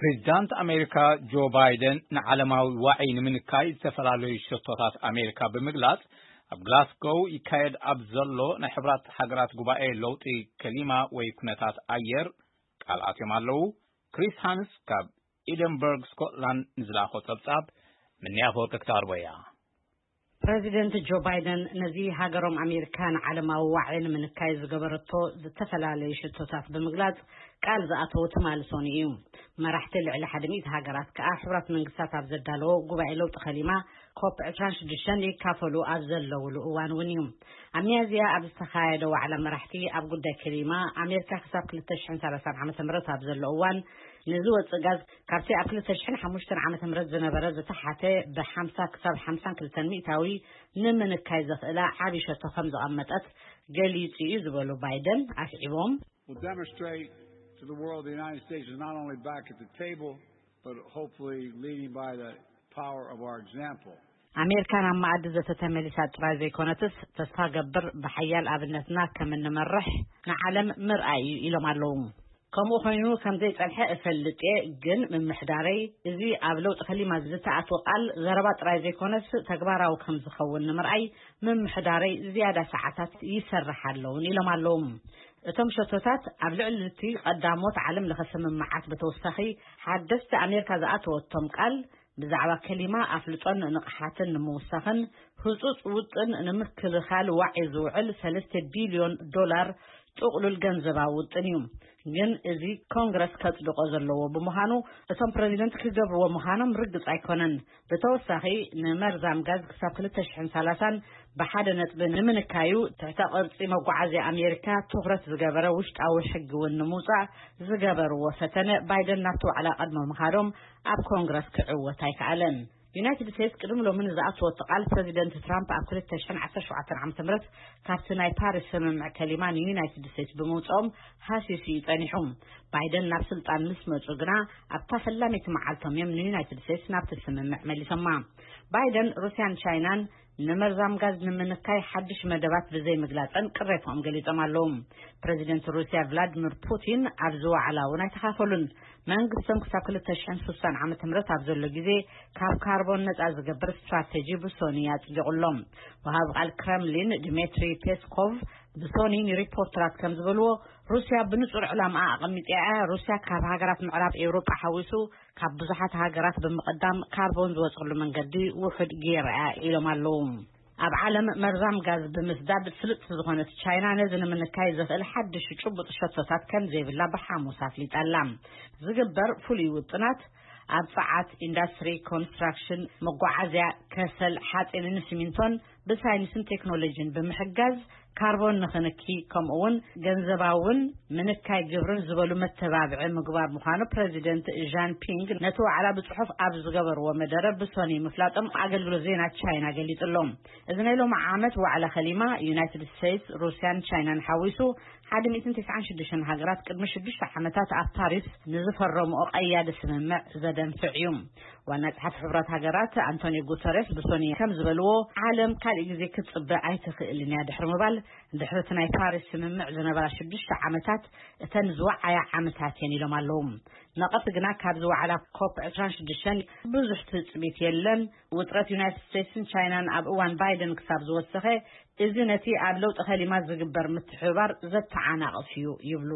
ፕሬዚዳንት ኣሜሪካ ጆ ባይደን ንዓለማዊ ዋዒ ንምንካይ ዝተፈላለዩ ሸቶታት ኣሜሪካ ብምግላጽ፣ ኣብ ግላስጎው ይካየድ ኣብ ዘሎ ናይ ሕብራት ሃገራት ጉባኤ ለውጢ ከሊማ ወይ ኩነታት ኣየር ቃል ኣትዮም ኣለዉ። ክሪስ ሃንስ ካብ ኤደንበርግ ስኮትላንድ ንዝለኣኾ ጸብጻብ ምንያ ፈወርቂ ክታርቦ እያ። ፕረዚደንት ጆ ባይደን ነዚ ሃገሮም ኣሜሪካ ንዓለማዊ ዋዒ ንምንካይ ዝገበረቶ ዝተፈላለዩ ሽቶታት ብምግላጽ ቃል ዝኣተወ ትማሊ ሰኑይ እዩ። መራሕቲ ልዕሊ ሓደ ሚእቲ ሃገራት ከኣ ሕቡራት መንግስታት ኣብ ዘዳለዎ ጉባኤ ለውጢ ከሊማ ኮፕ ዕስራን ሽዱሽተን ይካፈሉ ኣብ ዘለውሉ እዋን እውን እዩ። ኣብ ሚያዝያ ኣብ ዝተኻየደ ዋዕላ መራሕቲ ኣብ ጉዳይ ከሊማ ኣሜሪካ ክሳብ ክልተ ሽሕን ሰላሳን ዓመተ ምህረት ኣብ ዘሎ እዋን ንዝወጽእ ጋዝ ካብቲ ኣብ ክልተ ሽሕን ሓሙሽተን ዓመተ ምህረት ዝነበረ ዝተሓተ ብሓምሳ ክሳብ ሓምሳን ክልተን ሚእታዊ ንምንካይ ዘኽእላ ዓቢ ሸቶ ከም ዘቐመጠት ገሊጹ እዩ ዝበሉ ባይደን ኣስዒቦም፣ Will demonstrate to the world the United States is not only back at the table, but hopefully leading by the power of our example. ኣሜሪካ ናብ መኣዲ ዘተ ተመሊሳ ጥራይ ዘይኮነትስ፣ ተስፋ ገብር ብሓያል ኣብነትና ከም እንመርሕ ንዓለም ምርኣይ እዩ ኢሎም ኣለዉ። ከምኡ ኮይኑ ከም ዘይጸንሐ እፈልጥ እየ፣ ግን ምምሕዳረይ እዚ ኣብ ለውጢ ከሊማ ዝተኣትወ ቃል ዘረባ ጥራይ ዘይኮነስ ተግባራዊ ከም ዝኸውን ንምርኣይ ምምሕዳረይ ዝያዳ ሰዓታት ይሰርሕ ኣለውን ኢሎም ኣለዉ። እቶም ሸቶታት ኣብ ልዕሊ እቲ ቀዳሞት ዓለም ለኸ ስምምዓት ብተወሳኺ ሓደስቲ ኣሜሪካ ዝኣተወቶም ቃል ብዛዕባ ከሊማ ኣፍልጦን ንቕሓትን ንምውሳኽን ህጹጽ ውጥን ንምክልኻል ዋዒ ዝውዕል ሰለስተ ቢልዮን ዶላር ጥቕሉል ገንዘባዊ ውጥን እዩ። ግን እዚ ኮንግረስ ከጽድቆ ዘለዎ ብምዃኑ እቶም ፕረዚደንት ክገብርዎ ምዃኖም ርግጽ ኣይኮነን። ብተወሳኺ ንመርዛም ጋዝ ክሳብ ክልተ ሽሕን ሰላሳን ብሓደ ነጥቢ ንምንካዩ ትሕተ ቅርጺ መጓዓዝያ ኣሜሪካ ትኹረት ዝገበረ ውሽጣዊ ሕጊ እውን ንምውጻእ ዝገበርዎ ፈተነ ባይደን ናብቲ ዋዕላ ቀድሞ ምኻዶም ኣብ ኮንግረስ ክዕወት ኣይከኣለን። ዩናይትድ ስቴትስ ቅድሚ ሎሚ ንዝኣተወቶ ቃል ፕረዚደንት ትራምፕ ኣብ ክልተ ሽሕን ዓሰርተ ሸውዓተን ዓመተ ምህረት ካብቲ ናይ ፓሪስ ስምምዕ ከሊማ ንዩናይትድ ስቴትስ ብምውፅኦም ሃሲሱ እዩ ጸኒሑ። ባይደን ናብ ስልጣን ምስ መጹ ግና ኣብታ ፈላመይቲ መዓልቶም እዮም ንዩናይትድ ስቴትስ ናብቲ ስምምዕ መሊሶማ። ባይደን ሩስያን ቻይናን ንመርዛም ጋዝ ንምንካይ ሓድሽ መደባት ብዘይ ምግላጸን ቅሬታኦም ገሊጾም ኣለዉ። ፕረዚደንት ሩስያ ቭላድሚር ፑቲን ኣብዚ ዋዕላ እውን ኣይተኻፈሉን። መንግስቶም ክሳብ ክልተ ሽሕን ስሳን ዓመተ ምህረት ኣብ ዘሎ ግዜ ካብ ካርቦን ነጻ ዝገብር ስትራተጂ ብሶኒ ኣጽዲቑሎም። ወሃቢ ቃል ክረምሊን ድሜትሪ ፔስኮቭ ብሶኒ ንሪፖርተራት ከም ዝበልዎ፣ ሩስያ ብንጹር ዕላማ ኣቐሚጣ እያ። ሩስያ ካብ ሃገራት ምዕራብ ኤውሮጳ ሓዊሱ ካብ ብዙሓት ሃገራት ብምቕዳም ካርቦን ዝወጸሉ መንገዲ ውሑድ ገይራ እያ ኢሎም ኣለዉ። ኣብ ዓለም መርዛም ጋዝ ብምስዳድ ፍልጥቲ ዝኾነት ቻይና ነዚ ንምንካይ ዘኽእል ሓድሽ ጭቡጥ ሸቶታት ከም ዘይብላ ብሓሙስ ኣፍሊጣ ኣላ። ዝግበር ፍሉይ ውጥናት ኣብ ጸዓት፣ ኢንዳስትሪ፣ ኮንስትራክሽን፣ መጓዓዝያ፣ ከሰል፣ ሓጺንን ሲሚንቶን ብሳይንስን ቴክኖሎጂን ብምሕጋዝ ካርቦን ንኽንኪ፣ ከምኡ እውን ገንዘባውን ምንካይ ግብርን ዝበሉ መተባብዒ ምግባር ምዃኑ ፕረዚደንት ዣን ፒንግ ነቲ ዋዕላ ብጽሑፍ ኣብ ዝገበርዎ መደረ ብሶኒ ምፍላጦም ኣገልግሎት ዜና ቻይና ገሊጹ ኣሎ። እዚ ናይ ሎሚ ዓመት ዋዕላ ከሊማ ዩናይትድ ስቴትስ፣ ሩስያን ቻይናን ሓዊሱ ሓደ ሚእትን ተስዓን ሽዱሽተን ሃገራት ቅድሚ ሽዱሽተ ዓመታት ኣብ ፓሪስ ንዝፈረምኦ ቀያዲ ስምምዕ ዘደንፍዕ እዩ። ዋና ጸሓፊ ሕቡራት ሃገራት ኣንቶኒዮ ጉተሬስ ብሶኒ ከም ዝበልዎ፣ ዓለም ካልእ ግዜ ክትጽበ ኣይትኽእልን እያ ድሕሪ ምባል፣ ድሕሪ እቲ ናይ ፓሪስ ስምምዕ ዝነበራ ሽዱሽተ ዓመታት እተን ዝወዓያ ዓመታት እየን ኢሎም ኣለዉ። ነቐፍቲ ግና ካብዚ ዋዕላ ኮፕ ዕስራን ሽዱሽተን ብዙሕ ትጽቢት የለን። ውጥረት ዩናይትድ ስቴትስን ቻይናን ኣብ እዋን ባይደን ክሳብ ዝወሰኸ፣ እዚ ነቲ ኣብ ለውጢ ከሊማ ዝግበር ምትሕብባር ዘተዓናቕፍ እዩ ይብሉ።